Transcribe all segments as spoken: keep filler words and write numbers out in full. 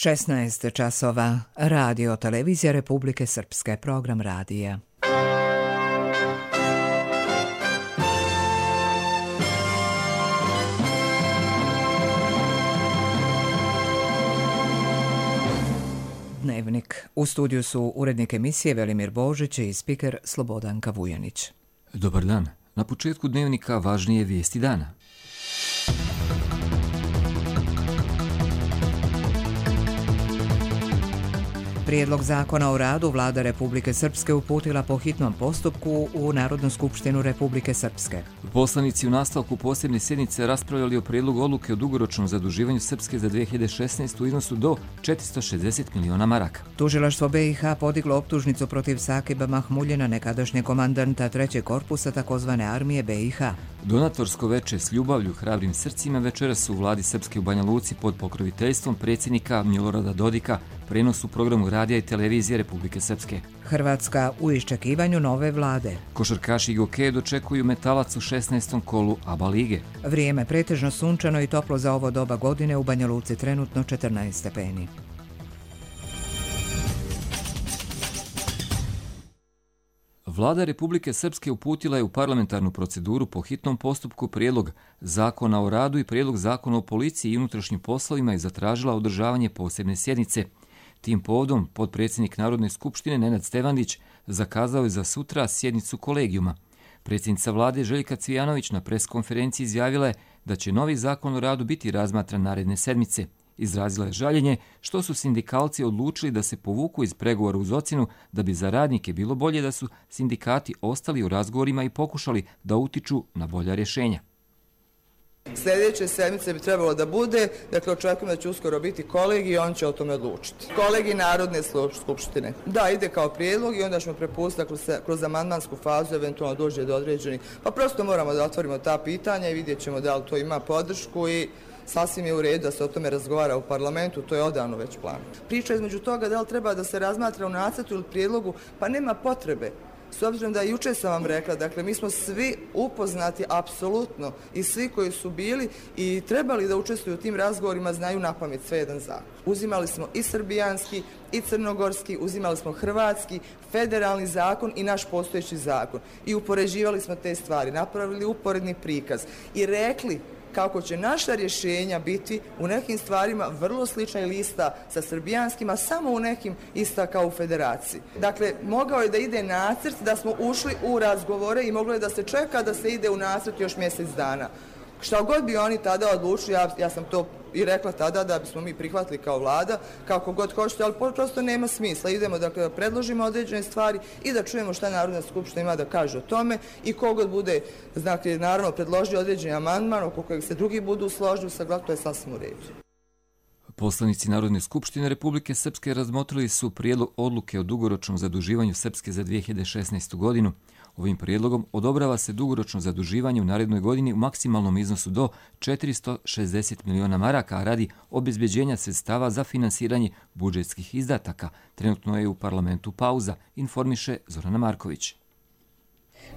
šesnaest časova. Radio Televizija Republike Srpske. Program radija. Dnevnik. U studiju su urednik emisije Velimir Božić i spiker Slobodanka Vujanić. Dobar dan. Na početku dnevnika važnije vijesti dana. Prijedlog zakona o radu Vlada Republike Srpske uputila po hitnom postupku u Narodnu skupštinu Republike Srpske. Poslanici u nastavku posebne sjednice raspravljali o prijedlogu odluke o dugoročnom zaduživanju Srpske za dve hiljade šesnaestu. u iznosu do četiristo šezdeset miliona maraka. Tužilaštvo B i H podiglo optužnicu protiv Sakiba Mahmuljina, nekadašnjeg komandanta trećeg korpusa takozvane armije B i H. Donatorsko veče s ljubavlju, hrabrim srcima večeras u vladi Srpske u Banja Luci pod pokroviteljstvom predsjednika Milorada Dodika, prenos u programu radija i televizije Republike Srpske. Hrvatska u iščekivanju nove vlade. Košarkaši Gokeje dočekuju Metalac u šesnaestom kolu A B A lige. Vrijeme pretežno sunčano i toplo za ovo doba godine, u Banja Luci trenutno četrnaest stepeni. Vlada Republike Srpske uputila je u parlamentarnu proceduru po hitnom postupku prijedlog zakona o radu i prijedlog zakona o policiji i unutrašnjim poslovima i zatražila održavanje posebne sjednice. Tim povodom potpredsjednik Narodne skupštine Nenad Stevandić zakazao je za sutra sjednicu kolegijuma. Predsjednica vlade Željka Cvijanović na preskonferenciji izjavila je da će novi zakon o radu biti razmatran naredne sedmice. Izrazila je žaljenje što su sindikalci odlučili da se povuku iz pregovora uz ocjenu da bi za radnike bilo bolje da su sindikati ostali u razgovorima i pokušali da utiču na bolja rješenja. Sljedeće sedmice bi trebalo da bude, dakle očekujem da će uskoro biti kolegij i on će o tome odlučiti. Kolegij Narodne skupštine. Da, ide kao prijedlog i onda ćemo prepustiti kroz, kroz amandmansku fazu, eventualno dođe do određenih. Pa prosto moramo da otvorimo ta pitanja i vidjet ćemo da li to ima podršku i sasvim je u redu da se o tome razgovara u parlamentu, to je odavno već plan. Priča između toga da li treba da se razmatra u nacrtu ili prijedlogu, pa nema potrebe. S obzirom da jučer sam vam rekla, dakle mi smo svi upoznati apsolutno i svi koji su bili i trebali da učestvuju u tim razgovorima znaju napamet sve jedan zakon. Uzimali smo i srbijanski i crnogorski, uzimali smo hrvatski, federalni zakon i naš postojeći zakon i upoređivali smo te stvari, napravili uporedni prikaz i rekli kako će naša rješenja biti u nekim stvarima vrlo slična lista sa srbijanskima, samo u nekim ista kao u federaciji. Dakle, mogao je da ide nacrt, da smo ušli u razgovore i moglo je da se čeka da se ide u nacrt još mjesec dana. Šta god bi oni tada odlučili, ja, ja sam to i rekla tada da bismo mi prihvatili kao vlada, kako god hoćete, ali prosto nema smisla. Idemo dakle, da predložimo određene stvari i da čujemo šta Narodna skupština ima da kaže o tome i kogod bude, znači, naravno, predložio određeni amandman oko kojeg se drugi budu složili, saglasno, to je sasvim u redu. Poslanici Narodne skupštine Republike Srpske razmotrili su prijedlog odluke o dugoročnom zaduživanju Srpske za dve hiljade šesnaestu. godinu. Ovim prijedlogom odobrava se dugoročno zaduživanje u narednoj godini u maksimalnom iznosu do četiristo šezdeset miliona maraka, a radi obezbeđenja sredstava za finansiranje budžetskih izdataka. Trenutno je u parlamentu pauza, informiše Zorana Marković.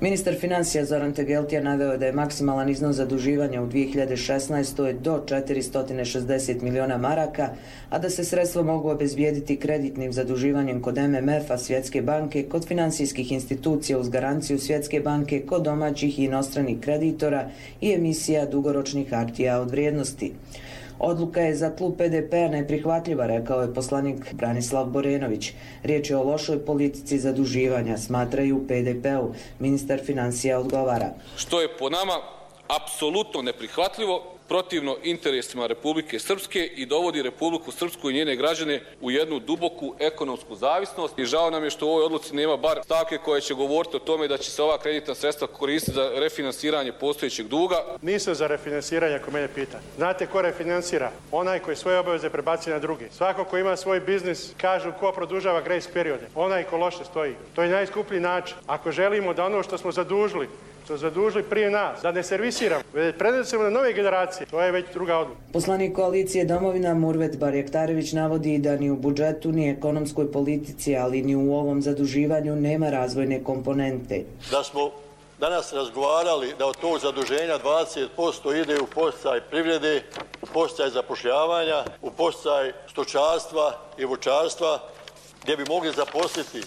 Ministar financija Zoran Tegeltija naveo je da je maksimalan iznos zaduživanja u dve hiljade šesnaestoj. do četiristo šezdeset miliona maraka, a da se sredstva mogu obezbijediti kreditnim zaduživanjem kod M M F-a, Svjetske banke, kod finansijskih institucija uz garanciju Svjetske banke, kod domaćih i inostranih kreditora i emisija dugoročnih hartija od vrijednosti. Odluka je za klub P D P-a neprihvatljiva, rekao je poslanik Branislav Borenović. Riječ je o lošoj politici zaduživanja, smatraju u P D P-u. Ministar financija odgovara. Što je po nama apsolutno neprihvatljivo, protivno interesima Republike Srpske i dovodi Republiku Srpsku i njene građane u jednu duboku ekonomsku zavisnost. I žao nam je što u ovoj odluci nema bar stavke koje će govoriti o tome da će se ova kreditna sredstva koristiti za refinansiranje postojećeg duga. Nisu za refinansiranje, ako mene pita. Znate ko refinansira? Onaj koji svoje obaveze prebaci na drugi. Svako ko ima svoj biznis, kažu ko produžava grace periode. Onaj ko loše stoji. To je najskuplji način. Ako želimo da ono što smo zadužili, što zadužili prije nas, da ne servisiramo, već prenesemo na nove generacije. To je već druga odluka. Poslanik koalicije Domovina Murvet Barjaktarević navodi da ni u budžetu, ni ekonomskoj politici, ali ni u ovom zaduživanju nema razvojne komponente. Da smo danas razgovarali da od tog zaduženja dvadeset posto ide u podsticaj privrede, u podsticaj zapošljavanja, u podsticaj stočarstva i voćarstva, gdje bi mogli zaposliti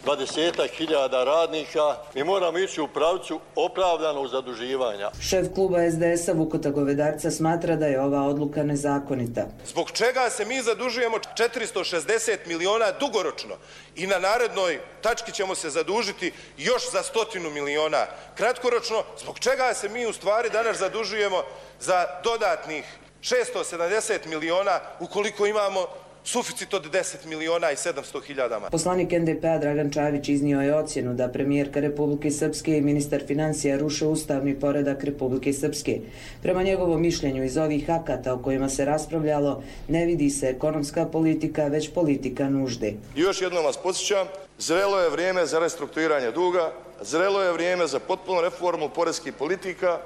dvadesetak hiljada radnika. Mi moramo ići u pravcu opravdanog zaduživanja. Šef kluba es de esa Vukota Govedarca smatra da je ova odluka nezakonita. Zbog čega se mi zadužujemo četiristo šezdeset miliona dugoročno i na narednoj tački ćemo se zadužiti još za stotinu miliona kratkoročno? Zbog čega se mi u stvari danas zadužujemo za dodatnih šesto sedamdeset miliona ukoliko imamo suficit od deset miliona i sedamsto hiljada. Poslanik en de pe a Dragan Čavić iznio je ocjenu da premijerka Republike Srpske i ministar financija ruše ustavni poredak Republike Srpske. Prema njegovom mišljenju iz ovih akata o kojima se raspravljalo ne vidi se ekonomska politika, već politika nužde. I još jednom vas podsjećam, zrelo je vrijeme za restrukturiranje duga, zrelo je vrijeme za potpunu reformu poreskih politika,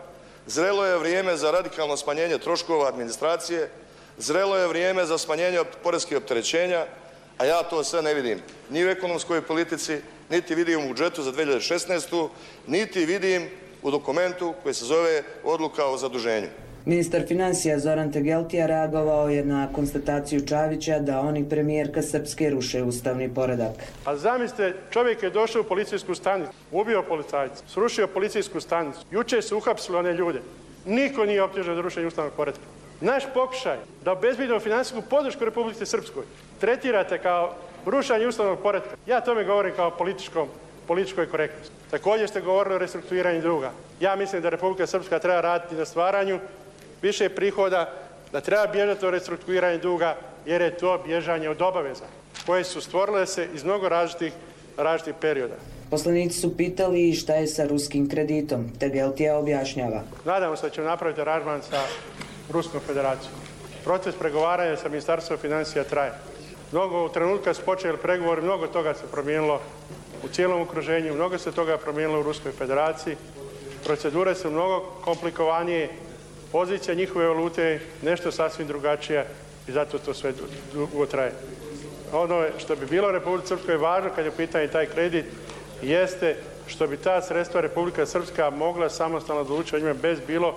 zrelo je vrijeme za radikalno smanjenje troškova administracije, zrelo je vrijeme za smanjenje poreskih opterećenja, a ja to sve ne vidim ni u ekonomskoj politici, niti vidim u budžetu za dve hiljade šesnaestu. niti vidim u dokumentu koji se zove odluka o zaduženju. Ministar financija Zoran Tegeltija reagovao je na konstataciju Čavića da oni premijerka Srpske ruše ustavni poredak. A zamislite, čovjek je došao u policijsku stanicu, ubio policajca, srušio policijsku stanicu, jučer su uhapsili one ljude. Niko nije optužen za rušenje ustavnog poretka. Naš pokušaj da obezbedimo financijsku podršku Republike Srpskoj tretirate kao rušanje ustavnog poretka. Ja tome govorim kao političkom, političkoj korektnosti. Također ste govorili o restrukturiranju duga. Ja mislim da Republika Srpska treba raditi na stvaranju više prihoda, da treba bježati o restrukturiranju duga, jer je to bježanje od obaveza koje su stvorile se iz mnogo različitih, različitih perioda. Poslanici su pitali šta je sa ruskim kreditom. Tegeltija objašnjava. Nadamo se da ćemo napraviti aranžman sa Ruskom federacijom. Proces pregovaranja sa Ministarstvom financija traje. Mnogo u trenutku kad su počeli pregovori, mnogo toga se promijenilo u cijelom okruženju, mnogo se toga promijenilo u Ruskoj federaciji. Procedure su mnogo komplikovanije, pozicija njihove valute je nešto sasvim drugačija i zato to sve dugo traje. Ono što bi bilo Republike Srpskoj važno kad je u pitanju taj kredit jeste što bi ta sredstva Republika Srpska mogla samostalno odlučiti o njima bez bilo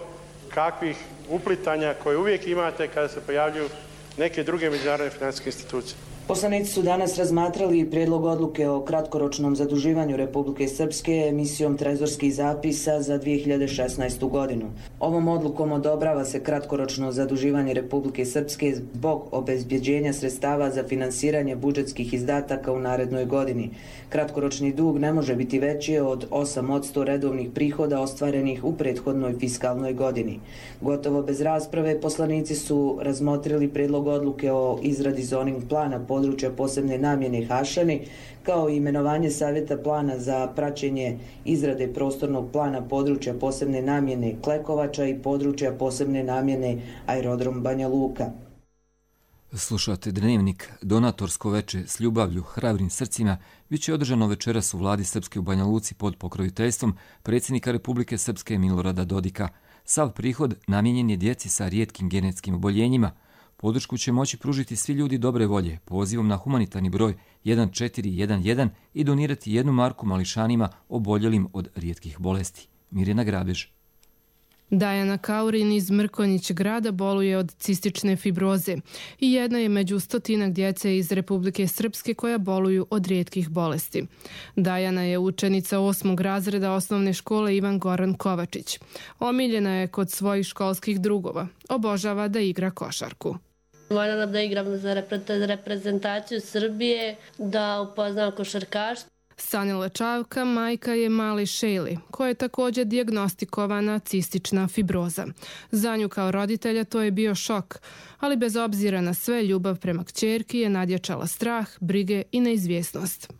kakvih uplitanja koje uvijek imate kada se pojavljuju neke druge međunarodne financijske institucije. Poslanici su danas razmatrali prijedlog odluke o kratkoročnom zaduživanju Republike Srpske emisijom trezorskih zapisa za dvije hiljade šesnaestu. godinu. Ovom odlukom odobrava se kratkoročno zaduživanje Republike Srpske zbog obezbjeđenja sredstava za finansiranje budžetskih izdataka u narednoj godini. Kratkoročni dug ne može biti veći od osam posto redovnih prihoda ostvarenih u prethodnoj fiskalnoj godini. Gotovo bez rasprave poslanici su razmotrili prijedlog odluke o izradi zoning plana područja posebne namjene Hašani, kao i imenovanje savjeta plana za praćenje izrade prostornog plana područja posebne namjene Klekovača i područja posebne namjene Aerodrom Banja Luka. Slušate Dnevnik, donatorsko veče s ljubavlju, hrabrim srcima, bit će održano večeras u vladi Srpske u Banja Luci pod pokroviteljstvom predsjednika Republike Srpske Milorada Dodika. Sav prihod namijenjen je djeci sa rijetkim genetskim oboljenjima. Podršku će moći pružiti svi ljudi dobre volje pozivom na humanitarni broj jedan četiri jedan jedan i donirati jednu marku mališanima oboljelim od rijetkih bolesti. Mirjana Grabež. Dajana Kaurin iz Mrkonjić grada boluje od cistične fibroze i jedna je među stotinak djece iz Republike Srpske koja boluju od rijetkih bolesti. Dajana je učenica osmog razreda osnovne škole Ivan Goran Kovačić. Omiljena je kod svojih školskih drugova. Obožava da igra košarku. Voljela da igram za reprezentaciju Srbije, da upoznam košarkaštvo. Sanila Čavka majka je mali Šejli, koja je također dijagnostikovana cistična fibroza. Za nju kao roditelja to je bio šok, ali bez obzira na sve ljubav prema kćerki je nadjačala strah, brige i neizvjesnost.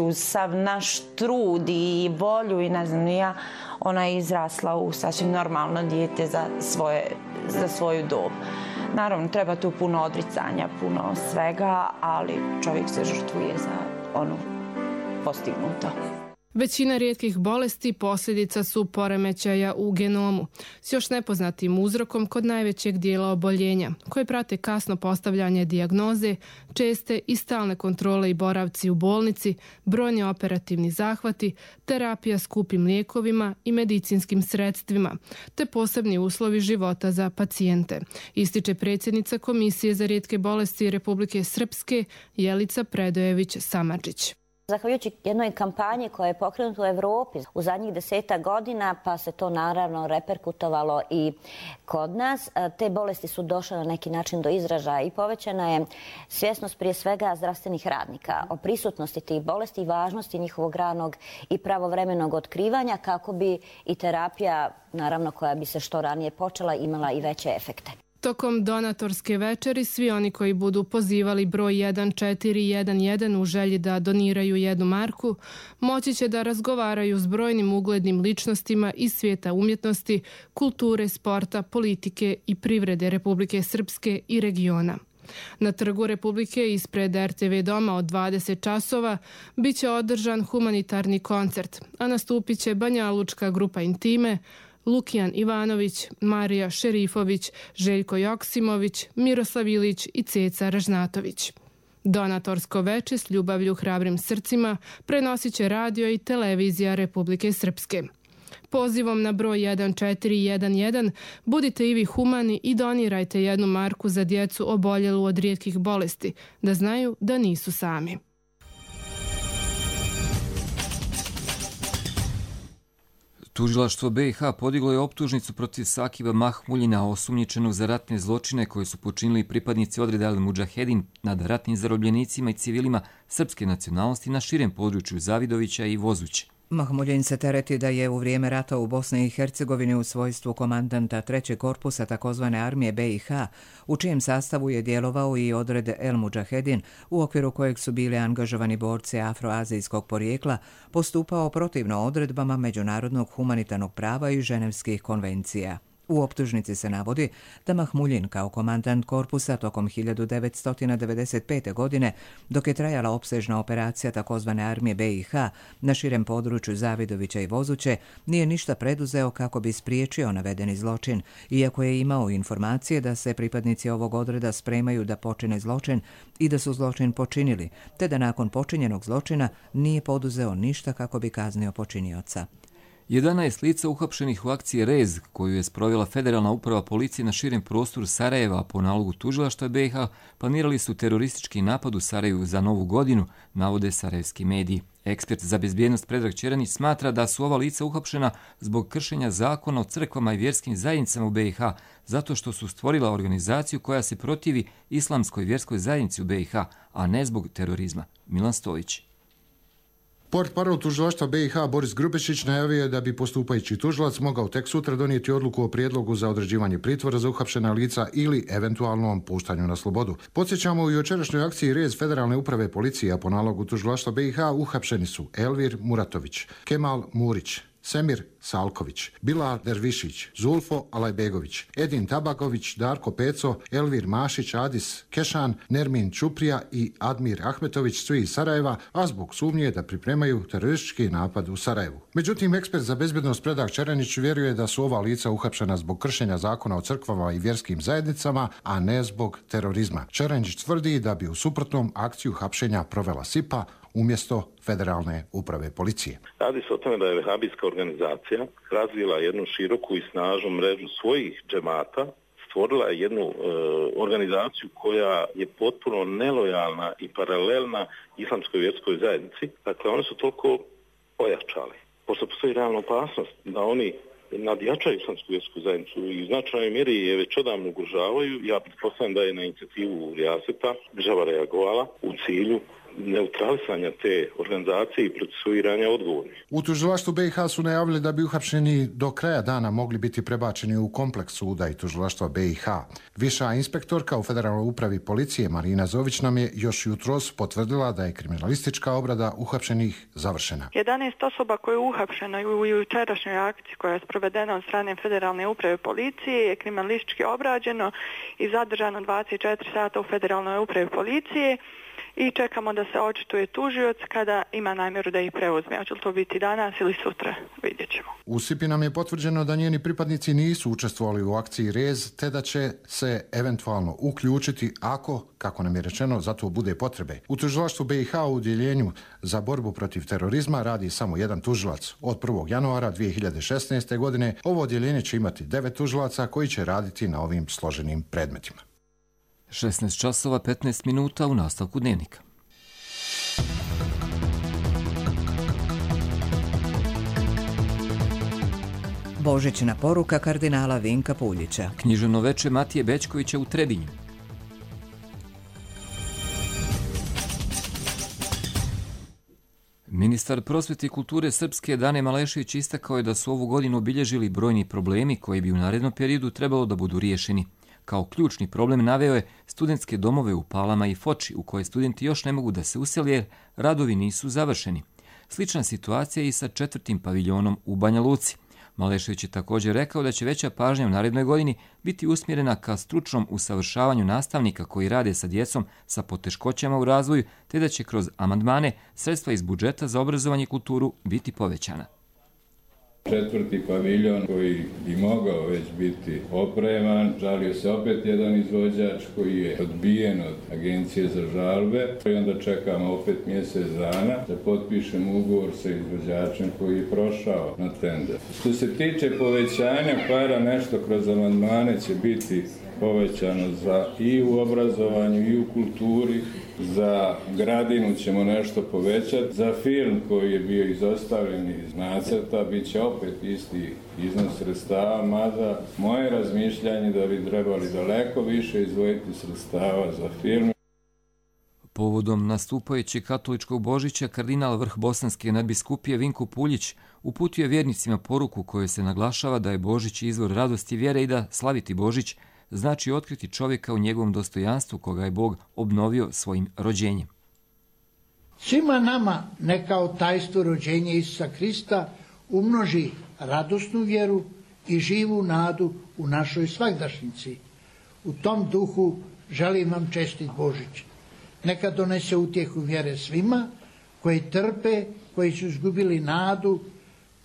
Uz sav naš trud i volju i ne znam ja, ona je izrasla u sasvim normalno dijete za, svoje, za svoju dob. Naravno, treba tu puno odricanja, puno svega, ali čovjek se žrtvuje za onu postignuto. Većina rijetkih bolesti posljedica su poremećaja u genomu s još nepoznatim uzrokom kod najvećeg dijela oboljenja, koje prate kasno postavljanje dijagnoze, česte i stalne kontrole i boravci u bolnici, brojni operativni zahvati, terapija skupim lijekovima i medicinskim sredstvima, te posebni uslovi života za pacijente, ističe predsjednica Komisije za rijetke bolesti Republike Srpske Jelica Predojević-Samardžić. Zahvaljujući jednoj kampanji koja je pokrenuta u Evropi u zadnjih deseta godina, pa se to naravno reperkutovalo i kod nas, te bolesti su došle na neki način do izražaja i povećana je svjesnost prije svega zdravstvenih radnika o prisutnosti tih bolesti i važnosti njihovog ranog i pravovremenog otkrivanja kako bi i terapija, naravno koja bi se što ranije počela, imala i veće efekte. Tokom donatorske večeri svi oni koji budu pozivali broj jedan četiri jedan jedan u želji da doniraju jednu marku moći će da razgovaraju s brojnim uglednim ličnostima iz svijeta umjetnosti, kulture, sporta, politike i privrede Republike Srpske i regiona. Na Trgu Republike ispred er te ve doma od dvadeset časova bit će održan humanitarni koncert, a nastupit će banjalučka grupa Intime, Lukijan Ivanović, Marija Šerifović, Željko Joksimović, Miroslav Ilić i Ceca Ražnatović. Donatorsko veče s ljubavlju hrabrim srcima prenosit će radio i televizija Republike Srpske. Pozivom na broj jedan četiri jedan jedan budite i vi humani i donirajte jednu marku za djecu oboljelu od rijetkih bolesti, da znaju da nisu sami. Tužilaštvo be i ha podiglo je optužnicu protiv Sakiba Mahmuljina, osumnjičenog za ratne zločine koje su počinili pripadnici odreda El Mudžahedin nad ratnim zarobljenicima i civilima srpske nacionalnosti na širem području Zavidovića i Vozuće. Mahmuljin se tereti da je u vrijeme rata u Bosni i Hercegovini u svojstvu komandanta trećeg korpusa takozvane armije be i ha, u čijem sastavu je djelovao i odred El Mudžahedin, u okviru kojeg su bili angažovani borci afroazijskog porijekla, postupao protivno odredbama međunarodnog humanitarnog prava i ženevskih konvencija. U optužnici se navodi da Mahmuljin kao komandant korpusa tokom hiljadu devetsto devedeset pete. godine, dok je trajala opsežna operacija takozvane armije be i ha na širem području Zavidovića i Vozuće, nije ništa preduzeo kako bi spriječio navedeni zločin, iako je imao informacije da se pripadnici ovog odreda spremaju da počine zločin i da su zločin počinili, te da nakon počinjenog zločina nije poduzeo ništa kako bi kaznio počinioca. jedanaest lica uhapšenih u akciji Rez, koju je sprovela Federalna uprava policije na širem prostoru Sarajeva po nalogu tužilaštva be i ha, planirali su teroristički napad u Sarajevu za Novu godinu, navode sarajevski mediji. Ekspert za bezbjednost Predrag Čeranić smatra da su ova lica uhapšena zbog kršenja zakona o crkvama i vjerskim zajednicama u be i ha, zato što su stvorila organizaciju koja se protivi islamskoj vjerskoj zajednici u be i ha, a ne zbog terorizma. Milan Stojić. Portparol tužilaštva be i ha Boris Grubešić najavio je da bi postupajući tužilac mogao tek sutra donijeti odluku o prijedlogu za određivanje pritvora za uhapšena lica ili eventualnom puštanju na slobodu. Podsjećamo, u jučerašnjoj akciji Rez Federalne uprave policije, a po nalogu tužilaštva be i ha uhapšeni su Elvir Muratović, Kemal Murić, Semir Salković, Bilal Dervišić, Zulfo Alajbegović, Edin Tabaković, Darko Peco, Elvir Mašić, Adis Kešan, Nermin Čuprija i Admir Ahmetović, svi iz Sarajeva, a zbog sumnje da pripremaju teroristički napad u Sarajevu. Međutim, ekspert za bezbjednost Predrag Čeranić vjeruje da su ova lica uhapšena zbog kršenja zakona o crkvama i vjerskim zajednicama, a ne zbog terorizma. Čeranić tvrdi da bi u suprotnom akciju hapšenja provela SIPA umjesto Federalne uprave policije. Radi se o tome da je vehabijska organizacija razvila jednu široku i snažnu mrežu svojih džemata, stvorila je jednu e, organizaciju koja je potpuno nelojalna i paralelna islamskoj vjerskoj zajednici. Dakle, oni su toliko ojačali. Pošto postoji realna opasnost da oni nadjačaju islamsku vjersku zajednicu i u značajnoj mjeri je već odavno ugrožavaju, ja pretpostavljam da je na inicijativu Rijaseta država reagovala u cilju neutralisanja te organizacije i procesuiranja odgovornih. U tužilaštvu be i ha su najavili da bi uhapšeni do kraja dana mogli biti prebačeni u kompleks suda i tužilaštva be i ha. Viša inspektorka u Federalnoj upravi policije Marina Zović nam je još jutros potvrdila da je kriminalistička obrada uhapšenih završena. jedanaest osoba koje je uhapšeno u jučerašnjoj akciji koja je sprovedena od strane Federalne uprave policije je kriminalistički obrađeno i zadržano dvadeset četiri sata u Federalnoj upravi policije i čekamo da se očituje tužioc kada ima namjeru da ih preuzme. Hoće li to biti danas ili sutra, vidjet ćemo. U Sipi nam je potvrđeno da njeni pripadnici nisu učestvovali u akciji Rez, te da će se eventualno uključiti ako, kako nam je rečeno, za to bude potrebe. U tužilaštvu B i H u udjeljenju za borbu protiv terorizma radi samo jedan tužilac. Od prvog januara dvije hiljade šesnaeste. godine ovo odjeljenje će imati devet tužilaca koji će raditi na ovim složenim predmetima. šesnaest časova petnaest minuta u nastavku dnevnika. Božićna poruka kardinala Vinka Puljića. Književno veče Matije Bećkovića u Trebinju. Ministar prosvete i kulture Srpske Dane Malešević istakao je da su ovu godinu obilježili brojni problemi koji bi u narednom periodu trebalo da budu riješeni. Kao ključni problem naveo je studentske domove u Palama i Foči, u koje studenti još ne mogu da se usele jer radovi nisu završeni. Slična situacija je i sa četvrtim paviljonom u Banja Luci. Malešević je također rekao da će veća pažnja u narednoj godini biti usmjerena ka stručnom usavršavanju nastavnika koji rade sa djecom sa poteškoćama u razvoju, te da će kroz amandmane sredstva iz budžeta za obrazovanje i kulturu biti povećana. Četvrti paviljon koji bi mogao već biti opreman, žalio se opet jedan izvođač koji je odbijen od Agencije za žalbe i onda čekamo opet mjesec dana da potpišemo ugovor sa izvođačem koji je prošao na tender. Što se tiče povećanja para, nešto kroz amandmane će biti povećano za i u obrazovanju i u kulturi. Za Gradinu ćemo nešto povećati. Za film koji je bio izostavljen iz nacrta bit će opet isti iznos sredstava, mada moje razmišljanje da bi trebali daleko više izdvojiti sredstava za film. Povodom nastupajućeg katoličkog Božića, kardinal vrh Bosanske nadbiskupije Vinko Puljić uputio je vjernicima poruku kojoj se naglašava da je Božić izvor radosti vjere i da slaviti Božić znači otkriti čovjeka u njegovom dostojanstvu koga je Bog obnovio svojim rođenjem. Svima nama neka od tajstvo rođenja Isusa Krista umnoži radosnu vjeru i živu nadu u našoj svagdašnjici. U tom duhu želim vam čestit Božić. Neka donese utjehu vjere svima koji trpe, koji su izgubili nadu,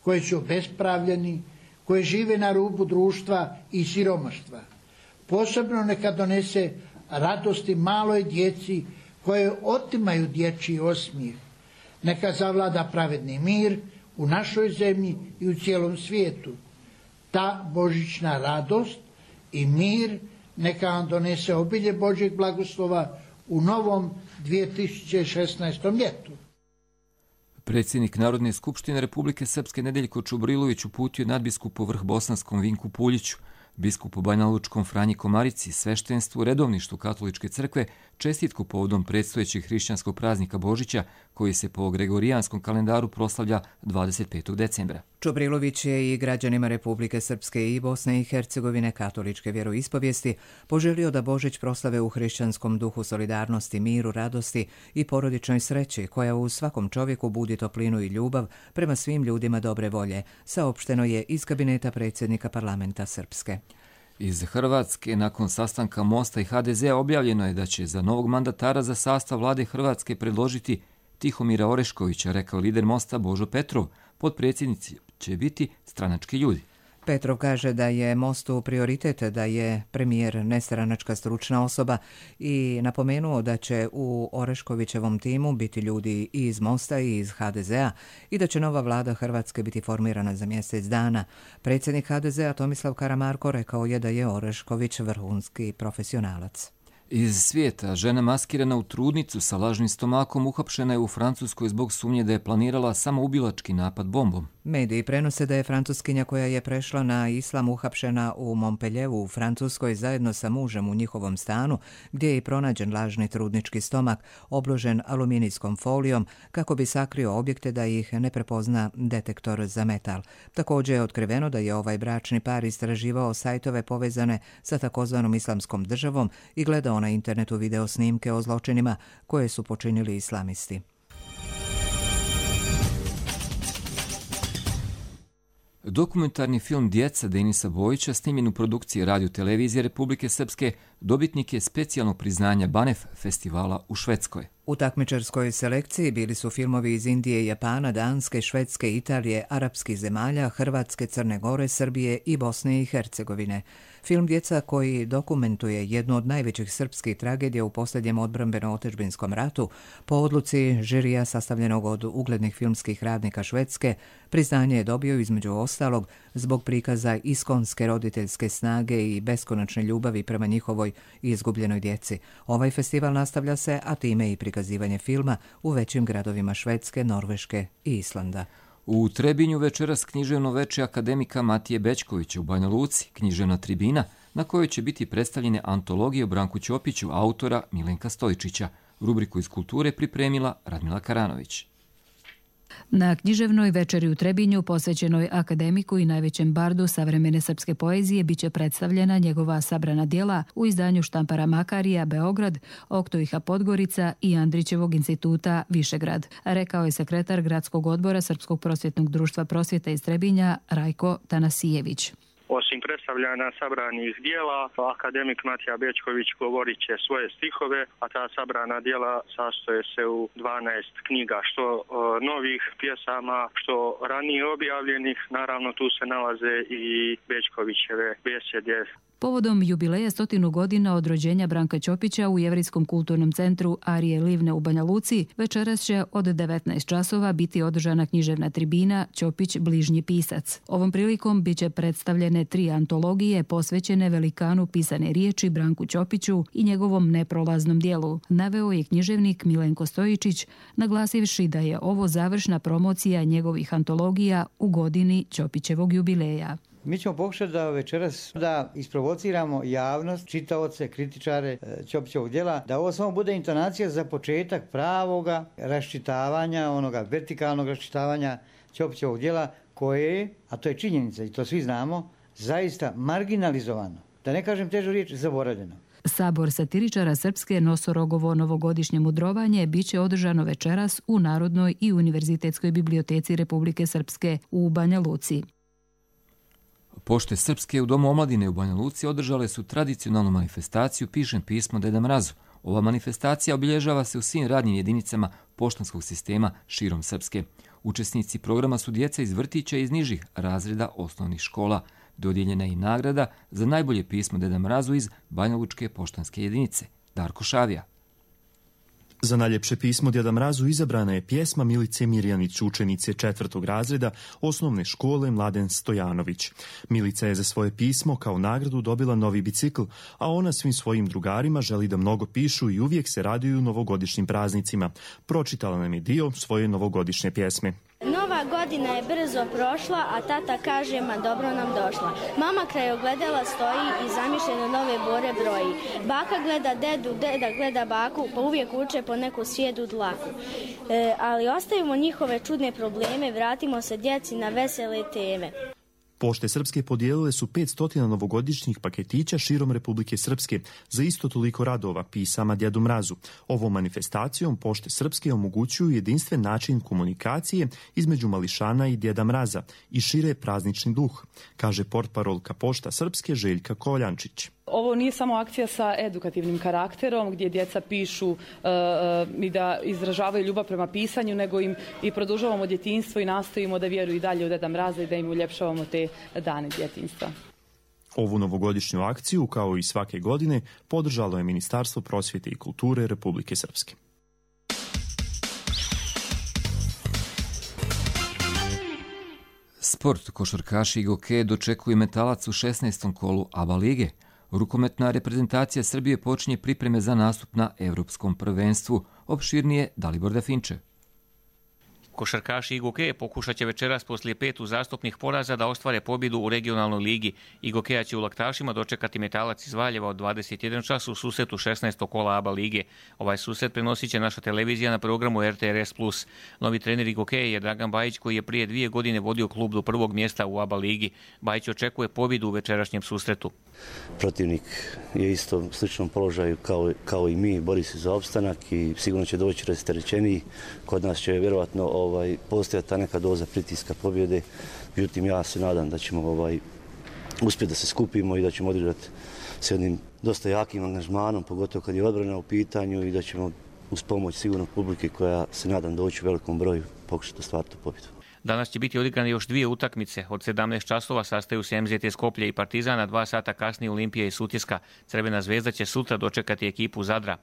koji su obespravljeni, koji žive na rubu društva i siromaštva. Posebno neka donese radosti maloj djeci koje otimaju dječji osmijeh. Neka zavlada pravedni mir u našoj zemlji i u cijelom svijetu. Ta božićna radost i mir neka vam donese obilje Božjeg blagoslova u novom dvije tisuće šesnaestom. ljetu. Predsjednik Narodne skupštine Republike Srpske Nedeljko Čubrilović uputio nadbiskupu vrh Bosanskom Vinku Puljiću, biskupu Banjalučkom Franji Komarici, sveštenstvu, redovništvu Katoličke crkve, čestitku povodom predstojećeg hrišćanskog praznika Božića, koji se po gregorijanskom kalendaru proslavlja dvadeset petog decembra. Čubrilović je i građanima Republike Srpske i Bosne i Hercegovine katoličke vjeroispovijesti poželio da Božić proslave u hrišćanskom duhu solidarnosti, miru, radosti i porodičnoj sreći, koja u svakom čovjeku budi toplinu i ljubav prema svim ljudima dobre volje, saopšteno je iz kabineta predsjednika parlamenta Srpske. Iz Hrvatske, nakon sastanka Mosta i ha de zea, objavljeno je da će za novog mandatara za sastav vlade Hrvatske predložiti Tihomira Oreškovića, rekao lider Mosta Božo Petrov. Potpredsjednici će biti stranački ljudi. Petrov kaže da je Mostu prioritet da je premijer nestranačka stručna osoba i napomenuo da će u Oreškovićevom timu biti ljudi i iz Mosta i iz ha de zea i da će nova vlada Hrvatske biti formirana za mjesec dana. Predsjednik ha de zea Tomislav Karamarko rekao je da je Orešković vrhunski profesionalac. Iz svijeta, žena maskirana u trudnicu sa lažnim stomakom uhapšena je u Francuskoj zbog sumnje da je planirala samoubilački napad bombom. Mediji prenose da je Francuskinja koja je prešla na islam uhapšena u Montpellieru u Francuskoj zajedno sa mužem u njihovom stanu, gdje je i pronađen lažni trudnički stomak obložen aluminijskom folijom kako bi sakrio objekte da ih ne prepozna detektor za metal. Također je otkriveno da je ovaj bračni par istraživao sajtove povezane sa takozvanom islamskom državom i gledao na internetu video snimke o zločinima koje su počinili islamisti. Dokumentarni film Djeca Denisa Bojića, snimljen u produkciji Radio-televizije Republike Srpske, dobitnik je specijalnog priznanja Banef festivala u Švedskoj. U takmičarskoj selekciji bili su filmovi iz Indije, Japana, Danske, Švedske, Italije, arapskih zemalja, Hrvatske, Crne Gore, Srbije i Bosne i Hercegovine. Film Djeca koji dokumentuje jednu od najvećih srpskih tragedija u posljednjem odbrambeno-otadžbinskom ratu, po odluci žirija sastavljenog od uglednih filmskih radnika Švedske, priznanje je dobio između ostalog zbog prikaza iskonske roditeljske snage i beskonačne ljubavi prema njihovoj izgubljenoj djeci. Ovaj festival nastavlja se, a time i prikazivanje filma u većim gradovima Švedske, Norveške i Islanda. U Trebinju večeras književno veče akademika Matije Bećkovića u Banja Luci, književna tribina na kojoj će biti predstavljene antologije o Branku Ćopiću, autora Milenka Stojičića. Rubriku iz kulture pripremila Radmila Karanović. Na književnoj večeri u Trebinju, posvećenoj akademiku i najvećem bardu savremene srpske poezije, biće predstavljena njegova sabrana djela u izdanju štampara Makarija Beograd, Oktoiha Podgorica i Andrićevog instituta Višegrad, rekao je sekretar Gradskog odbora Srpskog prosvjetnog društva prosvjeta iz Trebinja Rajko Tanasijević. Osim predstavljanja sabranih dijela, akademik Matija Bećković govorit će svoje stihove, a ta sabrana dijela sastoje se u dvanaest knjiga, što novih pjesama, što ranije objavljenih. Naravno, tu se nalaze i Bećkovićeve besjede. Povodom jubileja stotinu godina od rođenja Branka Ćopića u Jevrijskom kulturnom centru Arije Livne u Banja Luci, večeras će od devetnaest časova biti održana književna tribina Ćopić bližnji pisac. Ovom prilikom biće predstavljene tri antologije posvećene velikanu pisane riječi Branku Ćopiću i njegovom neprolaznom dijelu, naveo je književnik Milenko Stojičić, naglasivši da je ovo završna promocija njegovih antologija u godini Ćopićevog jubileja. Mi ćemo pokušati da večeras da isprovociramo javnost, čitaoce, kritičare Ćopićevog djela, da ovo samo bude intonacija za početak pravoga raščitavanja, onoga vertikalnog raščitavanja Ćopićevog djela koje je, a to je činjenica i to svi znamo, zaista marginalizovano. Da ne kažem težu riječ, zaboravljeno. Sabor satiričara Srpske Nosorogovo novogodišnje mudrovanje biće održano večeras u Narodnoj i Univerzitetskoj biblioteci Republike Srpske u Banja Luci. Pošte Srpske u Domu omladine u Banja Luci održale su tradicionalnu manifestaciju Pišem pismo Deda Mrazu. Ova manifestacija obilježava se u svim radnim jedinicama poštanskog sistema širom Srpske. Učesnici programa su djeca iz vrtića i iz nižih razreda osnovnih škola. Dodijeljena je i nagrada za najbolje pismo Deda Mrazu iz Banjalučke poštanske jedinice. Darko Šavija. Za najljepše pismo Djeda Mrazu izabrana je pjesma Milice Mirjanić, učenice četvrtog razreda osnovne škole Mladen Stojanović. Milica je za svoje pismo kao nagradu dobila novi bicikl, a ona svim svojim drugarima želi da mnogo pišu i uvijek se raduju novogodišnjim praznicima. Pročitala nam je dio svoje novogodišnje pjesme. Nova godina je brzo prošla, a tata kaže, ma dobro nam došla. Mama kraj ogledala stoji i zamišljeno nove bore broji. Baka gleda dedu, deda gleda baku, pa uvijek uče po neku svijedu dlaku. E, ali ostavimo njihove čudne probleme, vratimo se djeci na vesele teme. Pošte Srpske podijelile su petsto novogodišnjih paketića širom Republike Srpske za isto toliko radova pisama Djedu Mrazu. Ovom manifestacijom Pošte Srpske omogućuju jedinstven način komunikacije između mališana i Djeda Mraza i šire praznični duh, kaže portparolka Pošta Srpske Željka Koljančić. Ovo nije samo akcija sa edukativnim karakterom gdje djeca pišu uh, i da izražavaju ljubav prema pisanju, nego im i produžavamo djetinjstvo i nastojimo da vjeruju i dalje u Deda Mraza i da im uljepšavamo te dane djetinjstva. Ovu novogodišnju akciju, kao i svake godine, podržalo je Ministarstvo prosvjete i kulture Republike Srpske. Sport, košarkaši i gokeje dočekuju Metalac u šesnaestom kolu A B A lige. Rukometna reprezentacija Srbije počinje pripreme za nastup na Evropskom prvenstvu. Opširnije Dalibor Dafinče. Košarkaši i gokeje pokušat će večeras poslije pet uzastopnih poraza da ostvare pobjedu u regionalnoj ligi. I gokeja će u Laktašima dočekati Metalac iz Valjeva od dvadeset jedan čas u susretu šesnaestog kola A B A lige. Ovaj susret prenosit će naša televizija na programu R T R S plus. Novi trener i gokeje je Dragan Bajić, koji je prije dvije godine vodio klub do prvog mjesta u A B A ligi. Bajić očekuje pobjedu u večerašnjem susretu. Protivnik je isto u sličnom položaju kao, kao i mi, bori se za opstanak i sigurno će doći rasterećeniji. Kod nas će vjerovatno ovaj, postojati ta neka doza pritiska pobjede. Međutim, ja se nadam da ćemo ovaj, uspjeti da se skupimo i da ćemo odigrati s jednim dosta jakim angažmanom, pogotovo kad je odbrana u pitanju, i da ćemo uz pomoć sigurno publike koja se nadam doći u velikom broju pokušati ostvariti pobjedu. Danas će biti odigrane još dvije utakmice. Od sedamnaest časova sastaju se M Z T Skoplje i Partizana, dva sata kasnije Olimpija i Sutjeska. Crvena zvezda će sutra dočekati ekipu Zadra.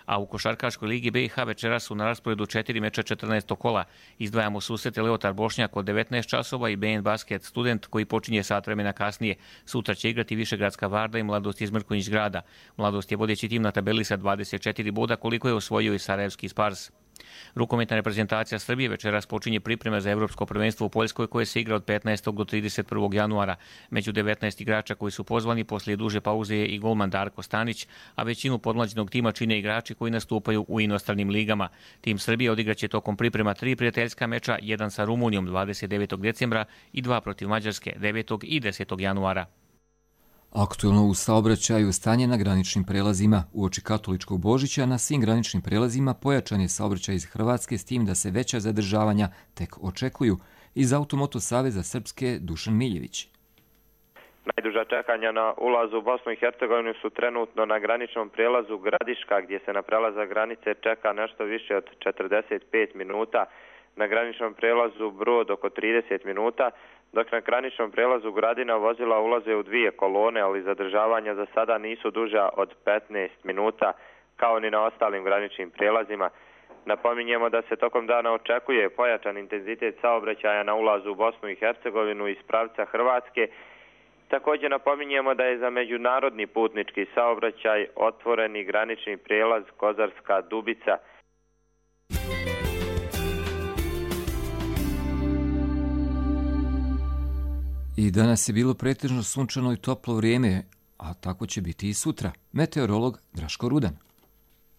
A u košarkaškoj ligi B i H večeras su na rasporedu četiri meča četrnaestog kola. Izdvajamo susrete Leotar Bošnjak od devetnaest časova i B N Basket Student koji počinje sat vremena kasnije. Sutra će igrati Višegradska Varda i Mladost iz Mrkonjić Grada. Mladost je vodeći tim na tabeli sa dvadeset četiri boda koliko je osvojio i Sarajevski Spars. Rukometna reprezentacija Srbije večeras počinje pripreme za Evropsko prvenstvo u Poljskoj koje se igra od petnaestog do trideset prvog januara. Među devetnaest igrača koji su pozvani poslije duže pauze je i golman Darko Stanić, a većinu podmlađenog tima čine igrači koji nastupaju u inostranim ligama. Tim Srbije odigraće tokom priprema tri prijateljska meča, jedan sa Rumunijom dvadeset devetog decembra i dva protiv Mađarske devetog i desetog januara. Aktuelno u saobraćaju stanje na graničnim prelazima. Uoči katoličkog Božića na svim graničnim prelazima pojačan je saobraćaj iz Hrvatske s tim da se veća zadržavanja tek očekuju. Iz Automoto Saveza Srpske Dušan Miljević. Najduža čekanja na ulazu u Bosnu i Hercegovinu su trenutno na graničnom prijelazu Gradiška gdje se na prelazak granice čeka nešto više od četrdeset pet minuta. Na graničnom prijelazu Brod oko trideset minuta, dok na graničnom prijelazu Gradina vozila ulaze u dvije kolone, ali zadržavanja za sada nisu duža od petnaest minuta, kao ni na ostalim graničnim prijelazima. Napominjemo da se tokom dana očekuje pojačan intenzitet saobraćaja na ulazu u Bosnu i Hercegovinu iz pravca Hrvatske. Također napominjemo da je za međunarodni putnički saobraćaj otvoreni granični prijelaz Kozarska Dubica. I danas je bilo pretežno sunčano i toplo vrijeme, a tako će biti i sutra. Meteorolog Draško Rudan.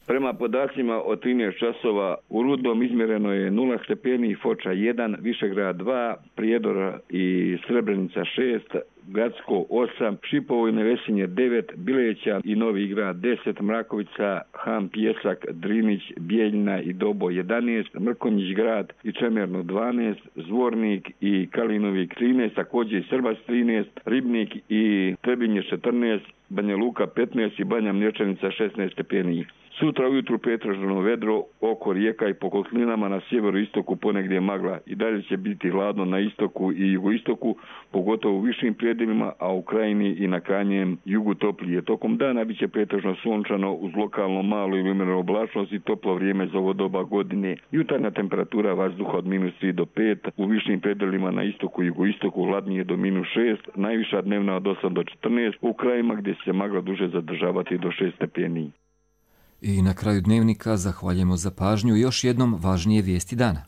Prema podacima od trinaest časova u Rudnom izmjereno je nula stepeni, Foča jedan, Višegrad dva, Prijedor i Srebrenica šest, Gacko osam, Šipovo i Nevesinje devet, Bileća i Novi Grad deset, Mrakovica, Ham, Pjesak, Drinić, Bijeljina i Dobo jedanaest, Mrkonjić Grad i Čemerno dvanaest, Zvornik i Kalinovik trinaest, također i Srbac trinaest, Ribnik i Trebinje četrnaest, Banja Luka petnaest i Banja Mlječanica šesnaest stepeni. Sutra ujutru pretežno vedro oko rijeka i po kotlinama, na sjeveroistoku ponegdje magla. I dalje će biti hladno na istoku i jugoistoku, pogotovo u višim predjelima, a u krajini i na krajnjem jugu toplije. Tokom dana bit će pretežno sunčano uz lokalno malu ili umjerenu oblačnost i toplo vrijeme za ovo doba godine. Jutarnja temperatura vazduha od minus tri do pet, u višim predjelima na istoku i jugoistoku hladnije do minus šest, najviša dnevna od osam do četrnaest, u krajima gdje se magla duže zadržavati do šest stepeni. I na kraju dnevnika zahvaljujemo za pažnju još jednom važnije vijesti dana.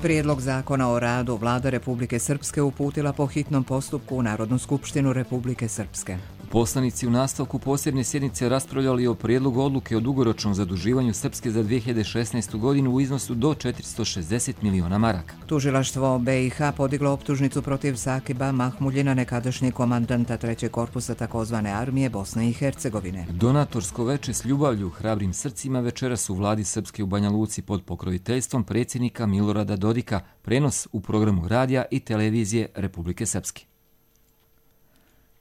Prijedlog zakona o radu Vlada Republike Srpske uputila po hitnom postupku u Narodnu skupštinu Republike Srpske. Poslanici u nastavku posebne sjednice raspravljali o prijedlogu odluke o dugoročnom zaduživanju Srpske za dvije hiljade šesnaestu. godinu u iznosu do četiristo šezdeset miliona maraka. Tužilaštvo B i H podiglo optužnicu protiv Sakiba Mahmuljina, nekadašnjeg komandanta trećeg korpusa takozvane armije Bosne i Hercegovine. Donatorsko veče s ljubavlju, hrabrim srcima večeras u vladi Srpske u Banja Luci pod pokroviteljstvom predsjednika Milorada Dodika, prenos u programu radija i televizije Republike Srpske.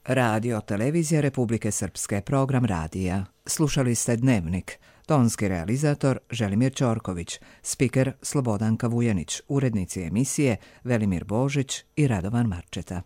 Radio televizija Republike Srpske, program radija. Slušali ste Dnevnik. Tonski realizator Želimir Ćorković, spiker Slobodanka Vujanić, urednici emisije Velimir Božić i Radovan Marčeta.